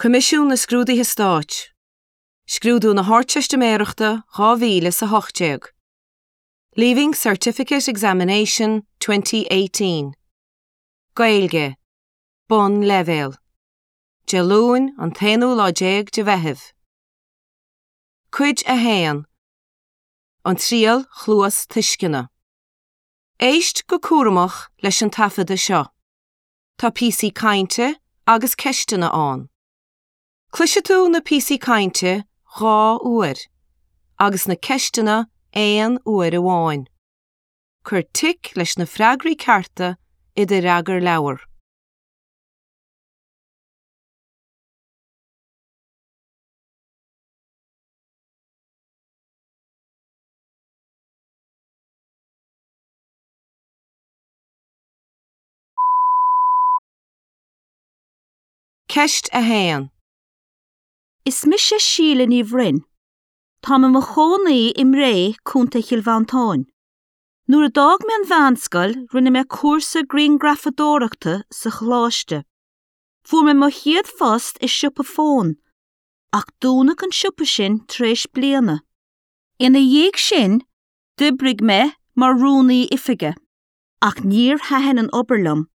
Coimisiún na Scrúduithe Stáit. Scrúdú na hArdteistiméireachta 2018. Leaving Certificate Examination 2018. Gaeilge, Bonnleibhéal. Dé Luain, an t-aonú lá déag de Mheitheamh. Cuid 1, An Triail Chluastuisceana. Éist go cúramach leis an taifeadadh seo. Tá píosaí cainte agus ceisteanna ann. Cloisfidh tú na píosaí cainte 2 uair agus na ceisteanna aon uair amháin. Cuir tic leis na freagraí cearta i do fhreagarleabhar. Ceist 1. Is mise Síle Ní Bhroin. Táim i mo chónaí i mBré, Contae Chill Mhantáin. Nuair a d'fhág mé an mheánscoil rinne mé cúrsa grianghrafadóireachta sa choláiste. Fuair mé mo chéad phost i siopa fón, ach dúnadh an siopa sin tar éis bliana. Ina dhiaidh sin, d'oibrigh mé mar rúnaí oifige. Ach níor thaitin an obair liom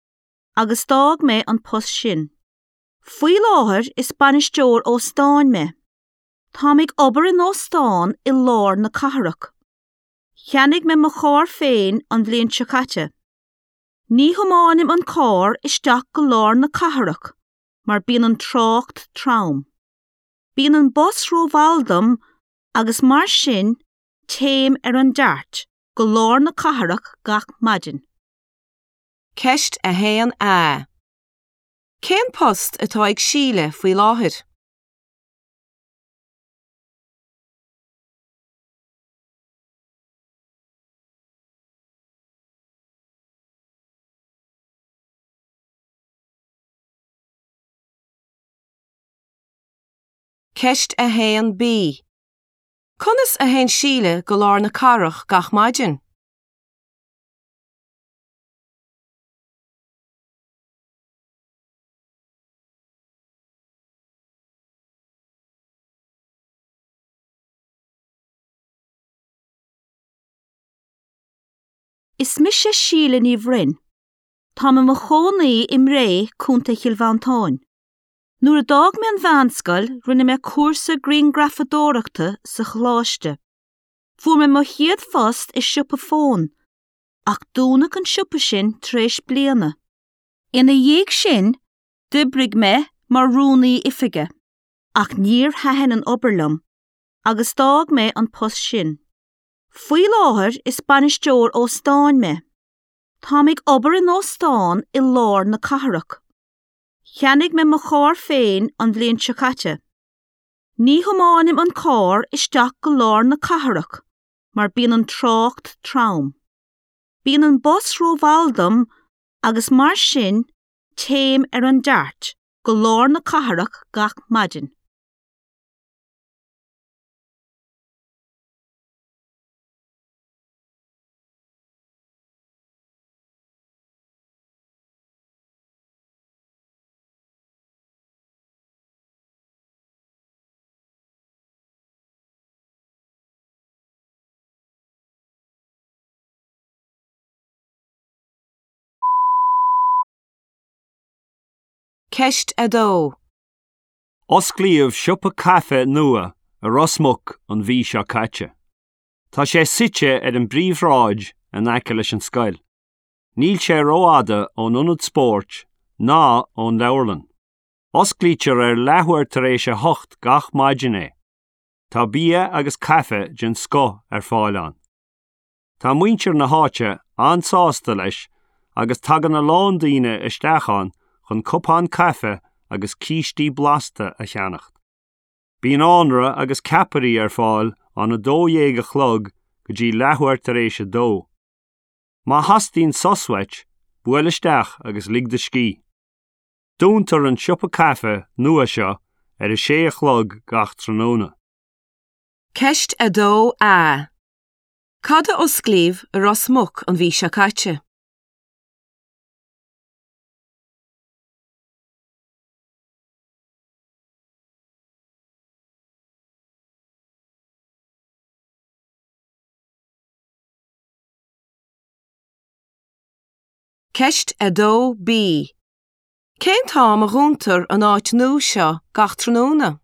agus d'fhág mé an post sin. Faoi láthair is bainisteoir óstáin mé. Táim ag obair in óstán i lár na cathrach. Cheannaigh mé mo charr féin an bhliain seo caite. Ní thiomáinim an carr isteach go lár na cathrach mar bíonn an trácht trom. Bíonn an bus rómhall dom agus mar sin téim ar an DART go lár na cathrach gach maidin. Ceist 1A. Cén post atá ag Síle faoi láthair? Ceist 1B. Conas a théann Síle go lár na cathrach gach maidin? Is mise Síle Ní Bhroin. Táim i mo chónaí i mBré, Contae Chill Mhantáin. Nuair a d'fhág mé an mheánscoil rinne mé cúrsa grianghrafadóireachta sa choláiste. Fuair mé mo chéad phost i siopa fón, ach dúnadh an siopa sin tar éis bliana. Ina dhiaidh sin, d'oibrigh mé mar rúnaí oifige, ach níor thaitin an obair liom agus d'fhág mé an post sin. Faoi láthair is bainisteoir óstáin mé. Táim ag obair in óstán i lár na cathrach. Cheannaigh mé mo charr féin an bhliain seo caite. Ní thiomáinim an carr isteach go lár na cathrach mar bíonn an trácht trom. Bíonn an bus rómhall dom agus mar sin téim ar an DART go lár na cathrach gach maidin. Ceist 2. Osclaíodh siopa caife nua i Ros Muc an mhí seo caite. Tá sé suite ar an bpríomhshráid in aice leis an scoil. Níl sé rófhada ón ionad spóirt ná ón leabharlann. Osclaítear ar leathuair tar éis a hocht gach maidin é. Tá bia agus caife den scoth ar fáil ann. Tá muintir na háite an-sásta leis agus tagann a lán daoine isteach ann chun cupán caife agus cístí blasta a cheannacht. Bíonn anraith agus ceapairí ar fáil ón 12 a chlog go dtí leathuair tar éis a dó. Má theastaíonn sos uait, buail isteach agus lig do scíth. Dúntar an siopa caife nua seo ar a sé a chlog gach tráthnóna. Ceist 2A. Cad a osclaíodh i Ros Muc an mhí seo caite? Ceist 2B. Cén t-am a dhúntar an áit nua seo gach tráthnóna?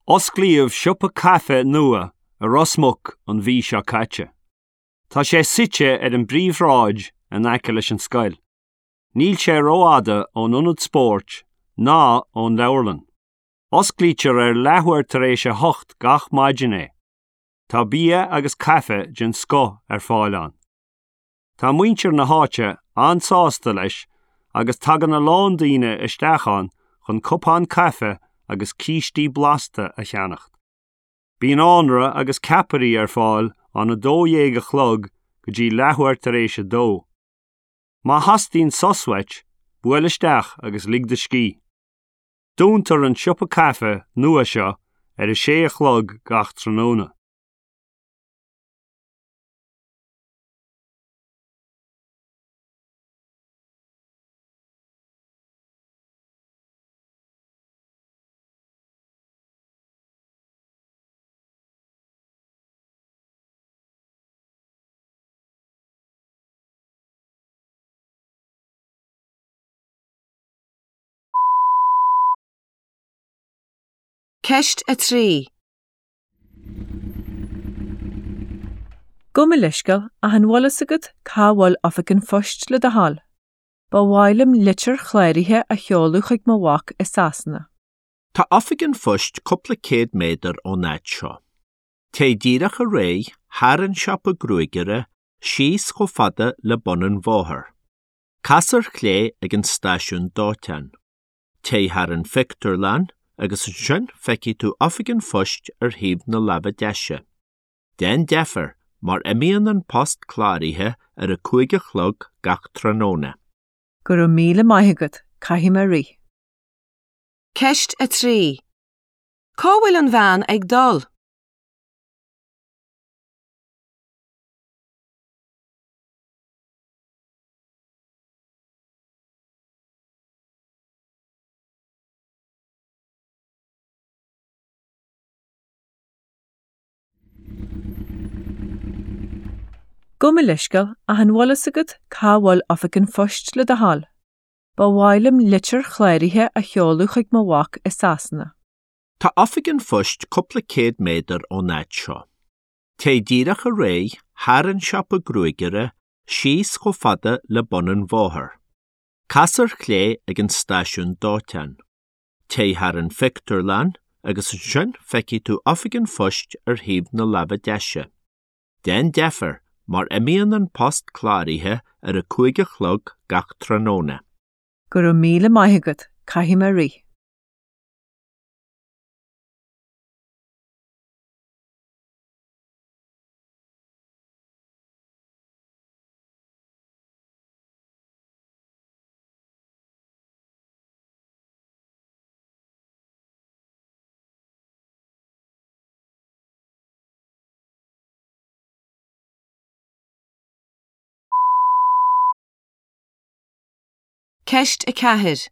Osclaíodh siopa caife nua i Ros Muc an mhí seo caite. Tá sé suite ar an bpríomhshráid in aice leis an scoil. Níl sé rófhada ón ionad spóirt ná ón leabharlann. Osclaítear ar leathuair tar éis a hocht gach maidin é. Tá bia agus caife den scoth ar fáil ann. Tá muintir na háite an-sásta leis agus tagann a lán daoine isteach ann chun cupán caife agus cístí blasta a cheannacht. Bíonn anraith agus ceapairí ar fáil ón 12 a chlog go dtí leathuair tar éis a dó. Má theastaíonn sos uait, buail isteach agus lig do scíth. Dúntar an siopa caife nua seo ar a sé a chlog gach tráthnóna. Ceist 3. Gabh mo leithscéal, ach an bhfuil fhios agat cá bhfuil oifig an phoist le do thoil? Ba mhaith liom litir chláraithe a sheoladh chuig mo mhac i Sasana. Tá oifig an phoist cúpla céad méadar ón áit seo. Téigh díreach ar aghaidh, thar an siopa gruagaire, síos chomh fada le bun an bhóthair. Cas ar chlé ag an stáisiún dóiteáin. Téigh thar an phictiúrlann agus ansin feicfidh tú oifig an phoist ar thaobh na láimhe deise. Déan deifir mar imíonn an post cláraithe ar a 5 a chlog gach tráthnóna. Go raibh míle maith agat, caithfidh mé rith. Ceist 3. Cá bhfuil an bhean ag dul? Gabh mo leithscéal, ach an bhfuil fhios agat cá bhfuil oifig an phoist le do thoil? Ba mhaith liom litir chláraithe a sheoladh chuig mo mhac i Sasana. Tá oifig an phoist cúpla céad méadar ón áit seo. Téigh díreach ar aghaidh, thar an siopa gruagaire, síos chomh fada le bun an bhóthair. Cas ar chlé ag an stáisiún dóiteáin. Téigh thar an phictiúrlann agus ansin feicfidh tú oifig an phoist ar thaobh na láimhe deise. Déan deifir mar imíonn an post cláraithe ar a 5 a chlog gach tráthnóna. Go raibh míle maith agat, caithfidh mé rith. Ceist 4.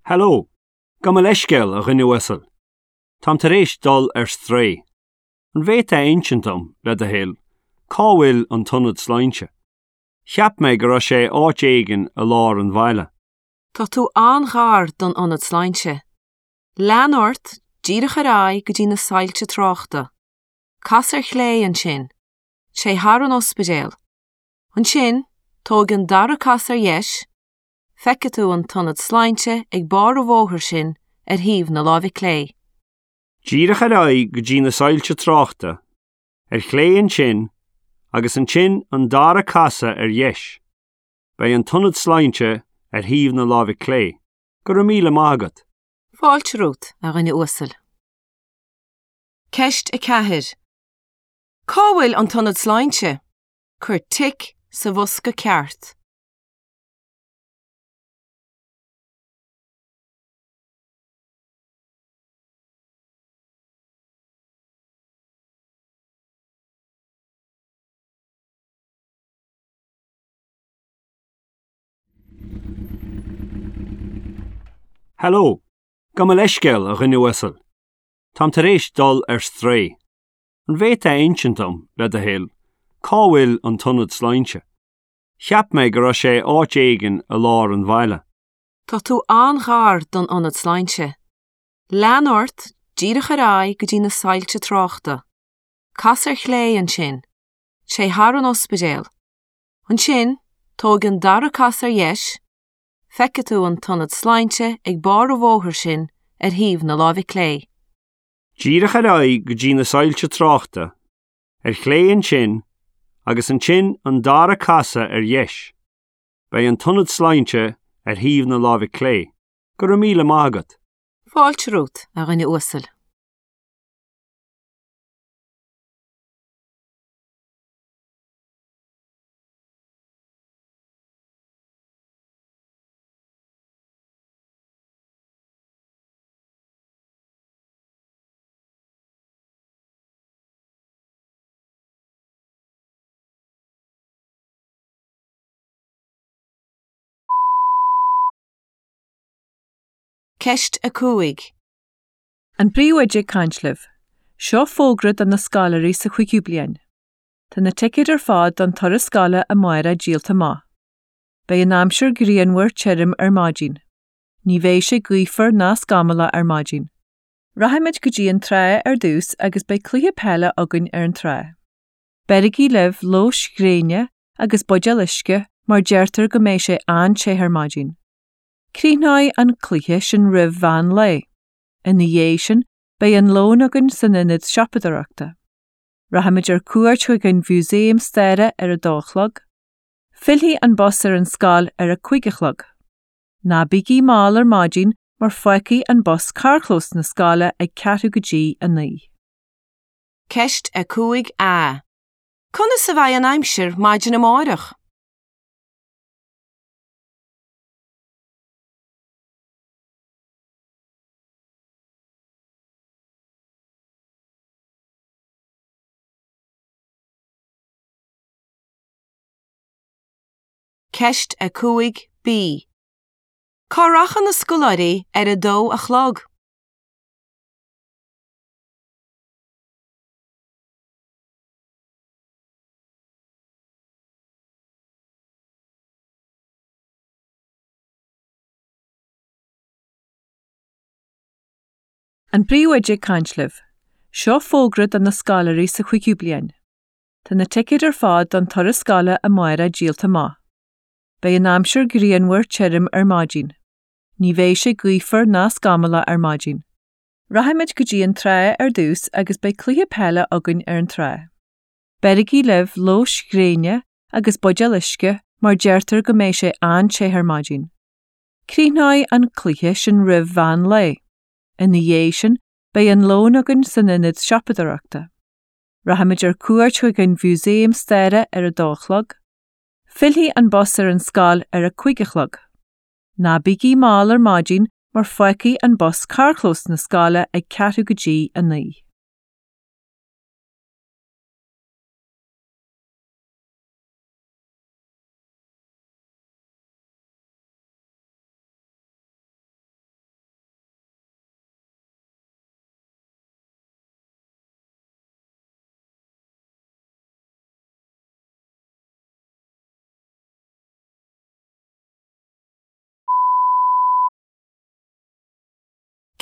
Hello. Gabh mo leithscéal, a dhuine uasail. Táim tar éis dul ar strae. An bhféadfá a insint dom, le do thoil, cá bhfuil an t-ionad sláinte? Cheap mé go raibh sé áit éigin i lár an bhaile. Tá tú an-ghar don ionad sláinte. Lean ort díreach ar aghaidh go dtí na soilse tráchta. Cas ar chlé ansin. Téigh thar an ospidéal. Ansin, tóg an dara casadh ar dheis, feicfidh tú an t-ionad sláinte ag barr an bhóthair sin ar thaobh na láimhe clé. Díreach ar aghaidh go dtí na soilse tráchta, ar chlé ansin, agus ansin an dara casadh ar dheis. Beidh an t-ionad sláinte ar thaobh na láimhe clé. Go raibh míle maith agat. Fáilte romhat, a dhuine uasail. Ceist 4. Cá bhfuil an t-ionad sláinte? Cuir tic sa bhosca ceart. Hello, Gabh mo leithscéal, a dhuine uasail. Táim tar éis dul ar strae. An bhféadfá a insint dom, le do thoil, cá bhfuil an t-ionad sláinte? Cheap mé go raibh sé áit éigin i lár an bhaile. Tá tú an-ghar don ionad sláinte. Lean ort díreach ar aghaidh go dtí na soilse tráchta. Cas ar chlé ansin. Téigh thar an ospidéal. Ansin, tóg an dara casadh ar dheis, feicfidh tú an t-ionad sláinte ag barr an bhóthair sin ar thaobh na láimhe clé. Díreach ar aghaidh go dtí na soilse tráchta, ar chlé ansin, agus ansin an dara casadh ar dheis. Beidh an t-ionad sláinte ar thaobh na láimhe clé. Go raibh míle maith agat. Fáilte romhat, a dhuine uasail. Ceist 5. An Príomhoide ag caint libh. Seo fógra do na scoláirí sa chúigiú bliain. Tá na ticéid ar fad don turas scoile amárach díolta amach. Beidh an aimsir grianmhar tirim ar maidin. Ní bheidh sé gaofar ná scamallach ar maidin. Rachaimid go dtí an trá ar dtús agus beidh cluiche peile againn ar an trá. Beirigí libh luas gréine agus buidéal uisce mar deirtear go mbeidh sé an-te ar maidin. Críochnóidh an cluiche sin roimh mheán lae. Ina dhiaidh sin beidh an lón againn san ionad siopadóireachta. Rachaimid ar cuairt chuig an Mhúsaem Staire ar a dó a chlog. Fillfidh an bus ar an scoil ar a cúig a chlog. Ná bígí mall ar maidin mar fágfaidh an bus carrchlós na scoile ag ceathrú go dtí a naoi. Ceist 5A. Conas a bheidh an aimsir maidin amárach? Ceist 5B. Cá rachaidh na scoláirí ar a dó a chlog? An Príomhoide ag caint libh. Seo fógra do na scoláirí sa chúigiú bliain. Tá na ticéid ar fad don turas scoile amárach díolta amach. Beidh an aimsir grianmhar tirim ar maidin. Ní bheidh sé gaofar ná scamallach ar maidin. Rachaimid go dtí an trá ar dtús agus beidh cluiche peile againn ar an trá. Beirigí libh luas gréine agus buidéal uisce mar deirtear go mbeidh sé an-te ar maidin. Críochnóidh an cluiche sin roimh mheán lae. Ina dhiaidh sin, beidh an lón againn san ionad siopadóireachta. Rachaimid ar cuairt chuig an Mhúsaem Staire ar a dó a chlog. Fillfidh an bus ar an scoil ar a cúig a chlog. Ná bígí mall ar maidin mar fágfaidh an bus carrchlós na scoile ag ceathrú go dtí a naoi.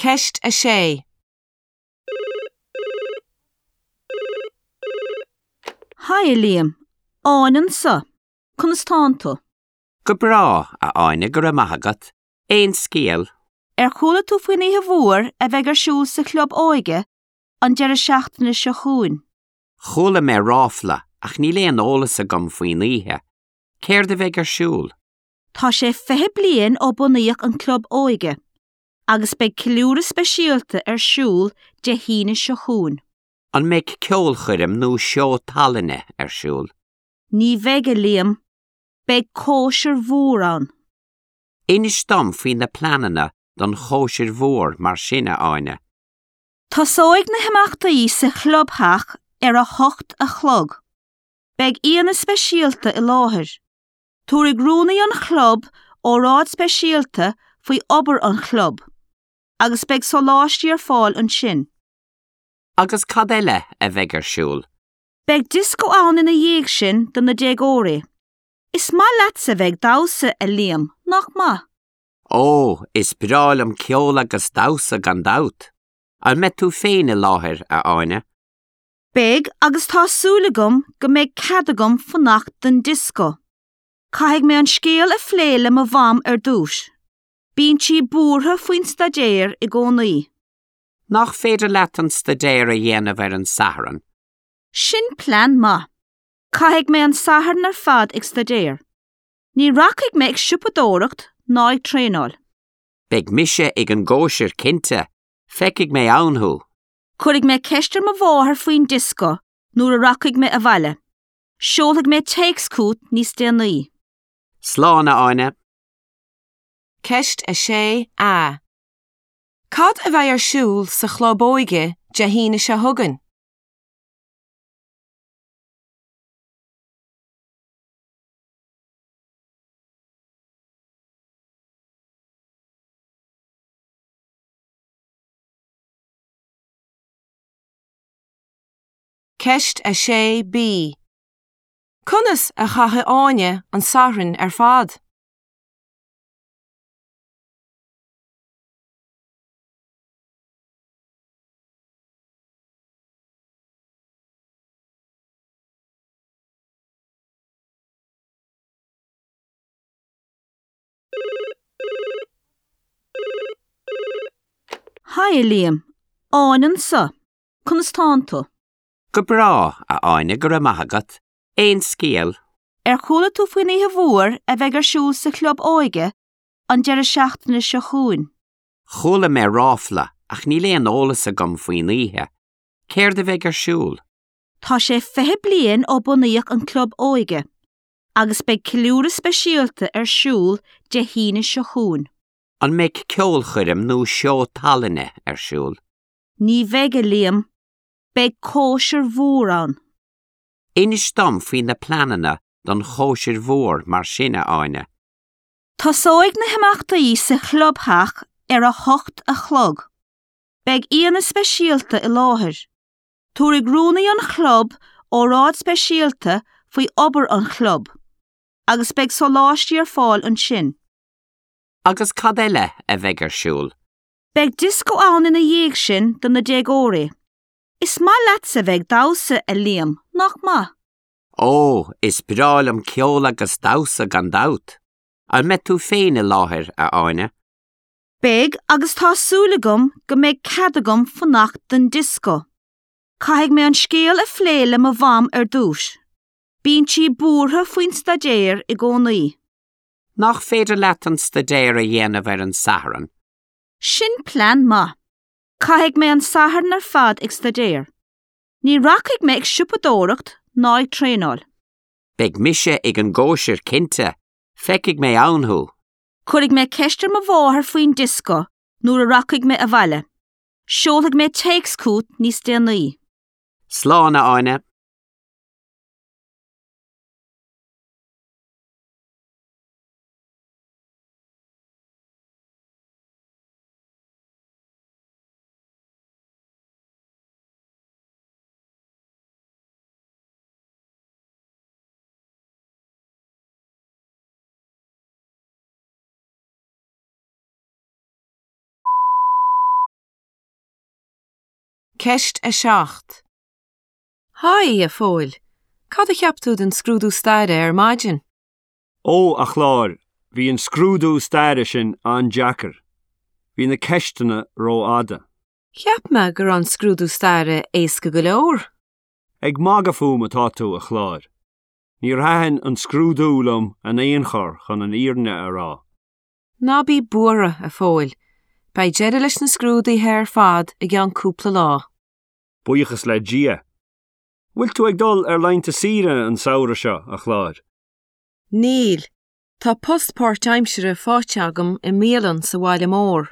Ceist 6. Haigh a Liam, Áine anseo. Conas tánn tú? Go breá, a Áine, go raibh maith agat. Aon scéal? Ar chuala tú faoin oíche mhór a bheidh ar siúl sa chlub óige an deireadh seachtaine seo chugainn? Chuala mé ráfla ach níl aon eolas agam faoin oíche. Céard a bheidh ar siúl? Tá sé 20 bliain ó bunaíodh an club óige agus beidh ceiliúradh speisialta ar siúl Dé hAoine seo chugainn. An mbeidh ceolchoirm nó seó tallainne ar siúl? Ní bheidh, a Liam. Beidh cóisir mhór ann. Inis dom faoi na pleananna don chóisir mhór mar sin, a Áine. Tosóidh na himeachtaí sa chlubtheach ar a hocht a chlog. Beidh aíonna speisialta i láthair. Tabharfaidh rúnaí an chlub óráid speisialta faoi obair an chlub. agus beidh sóláistí ar fáil ansin. Agus cad eile a bheidh ar siúl? Beidh dioscó ann ina dhiaidh sin do na déagóirí. Is maith leatsa bheith ag damhsa, a Liam, nach maith? Ó, is breá liom ceol agus damhsa gan dabht! An mbeidh tú féin i láthair, a Áine? Beidh, agus tá súil agam go mbeidh cead agam fanacht don dioscó. Caithfidh mé an scéal a phlé le mo mham ar dtús. Bíonn sí buartha faoin staidéar i gcónaí. Nach féidir leat an staidéar a dhéanamh ar an Satharn? Sin plean maith. Caithfidh mé an Satharn ar fad ag staidéar. Ní rachaidh mé ag siopadóireacht ná ag traenáil. Beidh mise ag an gcóisir cinnte, feicfidh mé ann thú. Cuirfidh mé ceist ar mo mháthair faoin dioscó nuair a rachaidh mé abhaile. Seolfaidh mé téacs chugat níos déanaí. Slán, a Áine. Ceist 6A. Cad a bheidh ar siúl sa Chlub Óige Dé hAoine seo chugainn? Ceist 6B. Conas a chaithfidh Áine an Satharn ar fad? Haigh, a Liam. Áine anseo. Conas tánn tú? Go breá, a Áine, go raibh maith agat. Aon scéal? Ar chuala tú faoin oíche mhór a bheidh ar siúl sa Chlub Óige an deireadh seachtaine seo chugainn? Chuala mé ráfla ach níl aon eolas agam faoin oíche. Céard a bheidh ar siúl? Tá sé 20 bliain ó bunaíodh an Club Óige agus beidh ceiliúradh speisialta ar siúl Dé hAoine seo chugainn. An mbeidh ceolchoirm nó seó tallainne ar siúl? Ní bheidh, a Liam. Beidh cóisir mhór ann. Inis dom faoi na pleananna don chóisir mhór mar sin, a Áine. Tosóidh na himeachtaí sa chlubtheach ar a hocht a chlog. Beidh aíonna speisialta i láthair. Tabharfaidh rúnaí an chlub óráid speisialta faoi obair an chlub agus beidh sóláistí ar fáil ansin. Agus cad eile a bheidh ar siúl? Beidh dioscó ann ina dhiaidh sin do na déagóirí. Is maith leatsa bheith ag damhsa, a Liam, nach maith? Ó, is breá liom ceol agus damhsa gan dabht! An mbeidh tú féin i láthair, a Áine? Beidh, agus tá súil agam go mbeidh cead agam fanacht don dioscó. Caithfidh mé an scéal a phlé le mo mham ar dtús. Bíonn sí buartha faoin staidéar i gcónaí. Nach féidir leat an staidéar a dhéanamh ar an Satharn? Sin plean maith. Caithfidh mé an Satharn ar fad ag staidéar. Ní rachaidh mé ag siopadóireacht ná ag traenáil. Beidh mise ag an gcóisir cinnte, feicfidh mé ann thú. Cuirfidh mé ceist ar mo mháthair faoin dioscó nuair a rachaidh mé abhaile. Seolfaidh mé téacs chugat níos déanaí. Slán, a Áine. Ceist 7. Haigh, a Phóil. Cad a cheap tú den scrúdú staire ar maidin? Ó, a Chláir, bhí an scrúdú staire sin an-deacair. Bhí na ceisteanna rófhada. Cheap mé go raibh an scrúdú staire éasca go leor. Ag magadh fúm atá tú, a Chláir. Níor thaitin an scrúdú liom in aon chor chun an fhírinne a rá. Ná bí buartha, a Phóil. Beidh deireadh leis na scrúduithe ar fad i gceann cúpla lá. Buíochas le Dia. Bhfuil tú ag dul ar laethanta saoire an samhradh seo, a Chláir? Níl. Tá post páirtaimsire faighte agam i mbialann sa bhaile mór.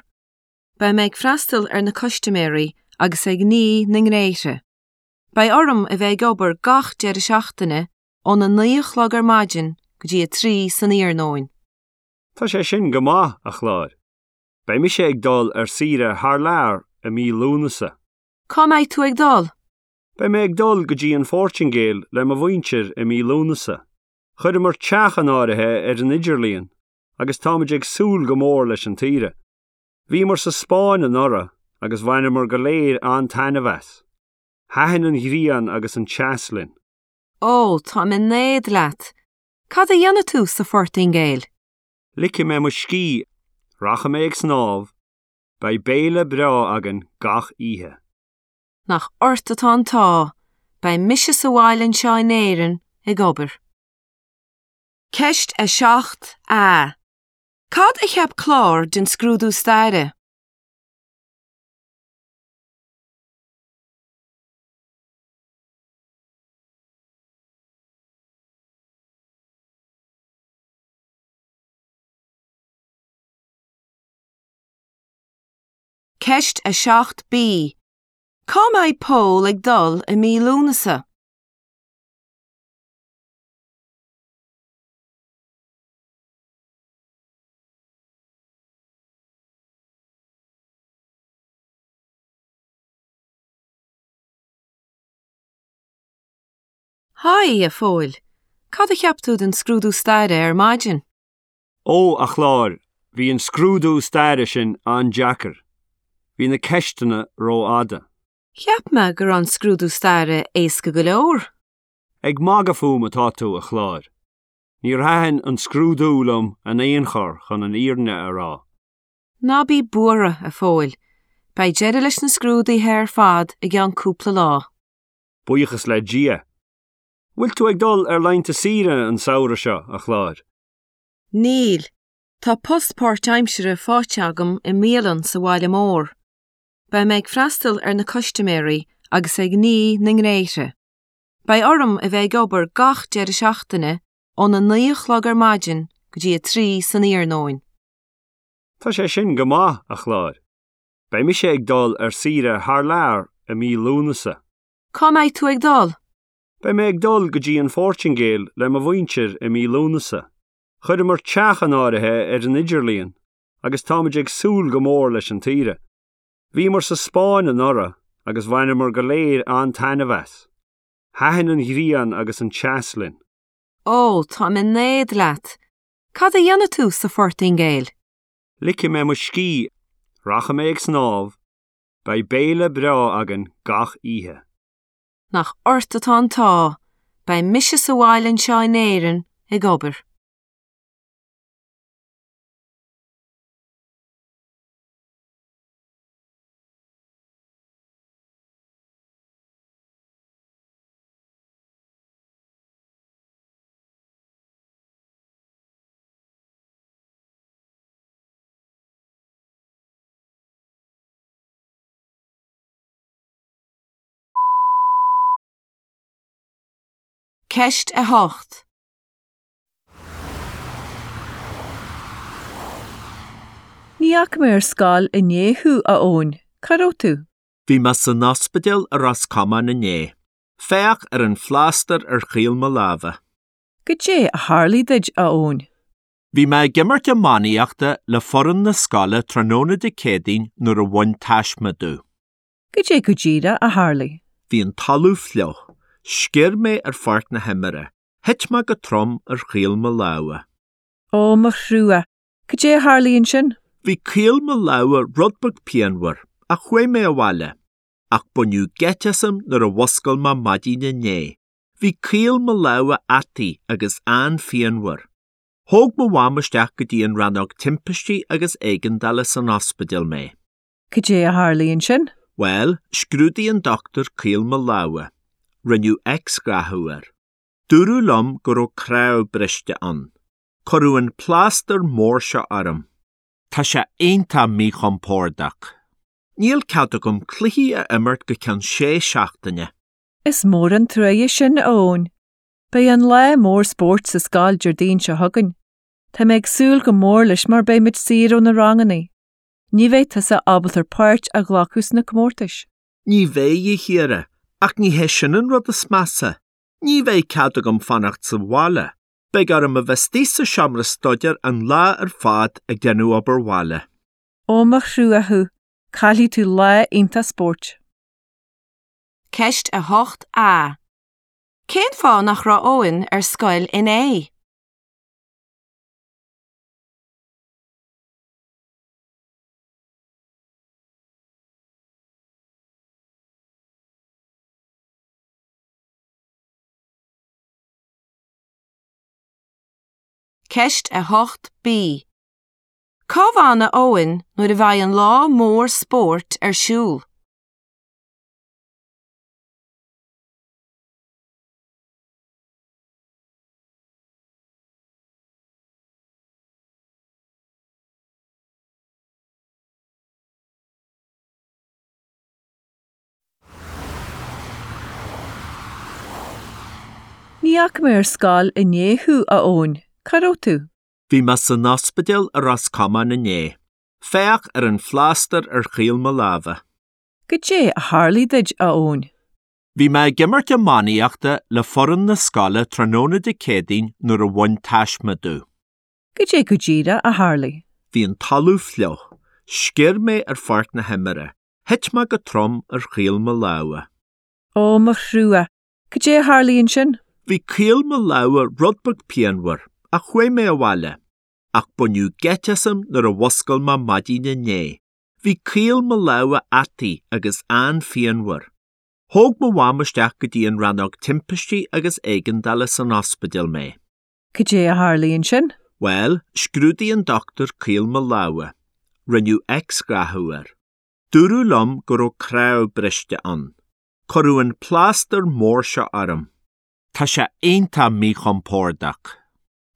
Beidh mé ag freastal ar na custaiméirí agus ag ní na ngréithe. Beidh orm a bheith ag obair gach deireadh seachtaine óna 9 a chlog ar maidin go dtí a 3 san iarnóin. Tá sé sin go maith, a Chláir. Beidh mise ag dul ar saoire thar lear i mí Lúnasa. Cá mbeidh tú ag dul? Beidh mé ag dul go dtí an Phortaingéil le mo mhuintir i mí Lúnasa. Chuireamar teach in áirithe ar an idirlíon agus táimid ag súil go mór leis an tsaoire. Bhíomar sa Spáinn anuraidh agus bhaineamar go léir an-taitneamh as. Thaitin an ghrian agus an teas linn. Ó, táim in éad leat! Cad a dhéanfaidh tú sa Phortaingéil? Ligfidh mé mo scíth, rachaidh mé ag snámh, beidh béile breá againn gach oíche. Nach ort atá an t-ádh, beidh mise sa bhaile anseo in Éirinn ag obair. Ceist 7 A. Cad a cheap Clár den scrúdú staire? Ceist 7 B. Cá mbeidh Pól ag dul i mí Lúnasa? Haigh, a Phóil. Cad a cheap tú den scrúdú staire ar maidin? Ó, a Chláir, bhí an scrúdú staire sin an-deacair. Bhí na ceisteanna rófhada. Cheap mé go raibh an scrúdú staire éasca go leor. Ag magadh fúm atá tú, a Chláir. Níor thaitin an scrúdú liom in aon chor chun an fhírinne a rá. Ná bí buartha, a Phóil. Beidh deireadh leis na scrúduithe ar fad i gceann cúpla lá. Buíochas le Dia. Bhfuil tú ag dul ar laethanta saoire an samhradh seo, a Chláir? Níl. Tá post páirtaimseartha faighte agam i mbialann sa bhaile mór. Beidh mé ag freastal ar na custaiméirí agus ag ní na ngréithre. Beidh orm a bheith ag obair gach deireadh seachtaine óna 9 a chlog ar maidin go dtí a 3 san iarnóin. Tá sé sin go maith, a Chláir. Beidh mise ag dul ar saoire thar lear i mí Lúnasa. Cá mbeidh tú ag dul? Beidh mé ag dul go dtí an Phortaingéil le mo mhuintir i mí Lúnasa. Chuireamar teach in áirithe ar an idirlíon agus táimid ag súil go mór leis an tsaoire. Bhíomar sa Spáinn anuraidh agus bhaineamar go léir an-taitneamh as. Thaitin an ghrian agus an teas linn. Ó, táim in éad leat! Cad a dhéanfaidh tú sa Phortaingéil? Ligfidh mé mo scíth, rachaidh mé ag snámh, beidh béile breá againn gach oíche. Nach ort atá an t-ádh, beidh mise sa bhaile anseo in Éirinn ag obair. Ceist 8. Ní fhaca mé ar scoil inné thú, a Eoin. Cá raibh tú? Bhí mé san ospidéal i Ros Comáin inné. Féach ar an phlástar ar chaol mo láimhe. Goidé a tharlaigh duit, a Eoin? Bhí mé ag imirt iománaíochta le foireann na scoile tráthnóna Dé Céadaoin nuair a bhain taisme domh. Goidé go díreach a tharlaigh? Bhí an talamh fliuch. Sciorr mé ar pháirc na himeartha. Thit mé go trom ar chaol mo lámha. Ó, mo thrua! Goidé a tharlaigh ansin? Bhí caol mo lámha rud beag pianmhar, ach chuaigh mé abhaile. Ach baineadh geit asam nuair a mhuscail mé maidin inné. Bhí caol mo lámha ataithe agus an-phianmhar. Thóg mo mham isteach go dtí an rannóg timpistí agus éigeandála san ospidéal mé. Cad é a tharlaigh ansin? Bhuel, scrúdaigh an dochtúir caol mo lámha. Rinneadh x-ghathú air. Dúradh liom go raibh cnámh briste ann. Cuireadh an plástar mór seo orm. Tá sé iontach míchompordach. Níl cead agam cluichí a imirt go ceann sé seachtaine. Is mór an truaighe sin, a Eoin. Beidh an lá mór spóirt sa scoil Déardaoin seo chugainn. Tá mé ag súil go mór leis mar beidh muid saor ó na ranganna. Ní bheidh tusa ábalta páirt a ghlacadh sna comórtais. Ní bheidh, a Chiara, ach ní hé sin an rud is measa. Ní bheidh cead agam fanacht sa bhaile. Beidh orm a bheith istigh sa seomra staidéir an lá ar fad ag déanamh obair bhaile. Ó mo thrua thú, caillfidh tú lá iontach spóirt. Ceist 8A. Cén fáth nach raibh Eoin ar scoil inné? Ceist 8B. Cá bhfanfaidh Eoin nuair a bheidh an lá mór spóirt ar siúl? Ní fhaca mé ar scoil inné thú, a Eoin. Cá raibh tú? Bhí mé san ospidéal i Ros Comáin inné. Féach ar an phlástar ar chaol mo láimhe. Goidé a tharlaigh duit, a Eoin? Bhí mé ag imirt iománaíochta le foireann na scoile tráthnóna Dé Céadaoin nuair a bhain taisme domh. Goidé go díreach a tharlaigh? Bhí an talamh fliuch. Sciorr mé ar pháirc na himeartha. Thit mé go trom ar chaol mo lámha. Ó, mo thrua! Goidé a tharlaigh ansin? Bhí caol mo lámha rud beag pianmhar, ach chuaigh mé abhaile. Ach baineadh geit asam nuair a mhuscail mé maidin inné. Bhí caol mo lámha ataithe agus an-phianmhar. Thóg mo mham isteach go dtí an rannóg timpistí agus éigeandála san ospidéal mé. Goidé a tharlaigh ansin? Bhuel, scrúdaigh an dochtúir caol mo lámha. Rinneadh x-ghathú air. Dúradh liom go raibh cnámh briste ann. Cuireadh an plástar mór seo orm. Tá sé iontach míchompordach.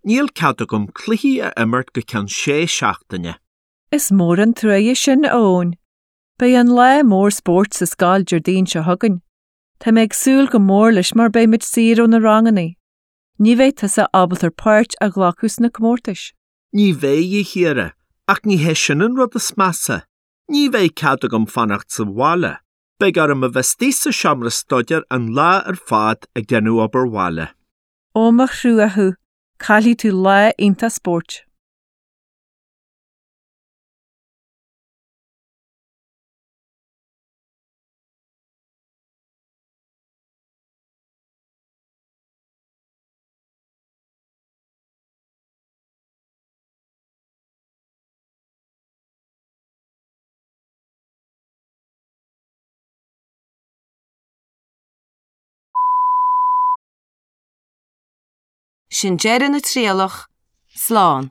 Níl cead agam cluichí a imirt go ceann sé seachtaine. Is mór an truaighe sin, a Eoin. Beidh an lá mór spóirt sa scoil Déardaoin seo chugainn. Tá mé ag súil go mór leis mar beimid saor ó na ranganna. Ní bheidh tusa ábalta páirt a ghlacadh sna comórtais. Ní bheidh, a Chiara, ach ní hé sin an rud is measa. Ní bheidh cead agam fanacht sa bhaile. Beidh orm a bheith istigh sa seomra staidéir an lá ar fad ag déanamh obair bhaile. Ó mo thrua thú, caillfidh tú lá iontach spóirt. Sin deireadh na trialach. Slán.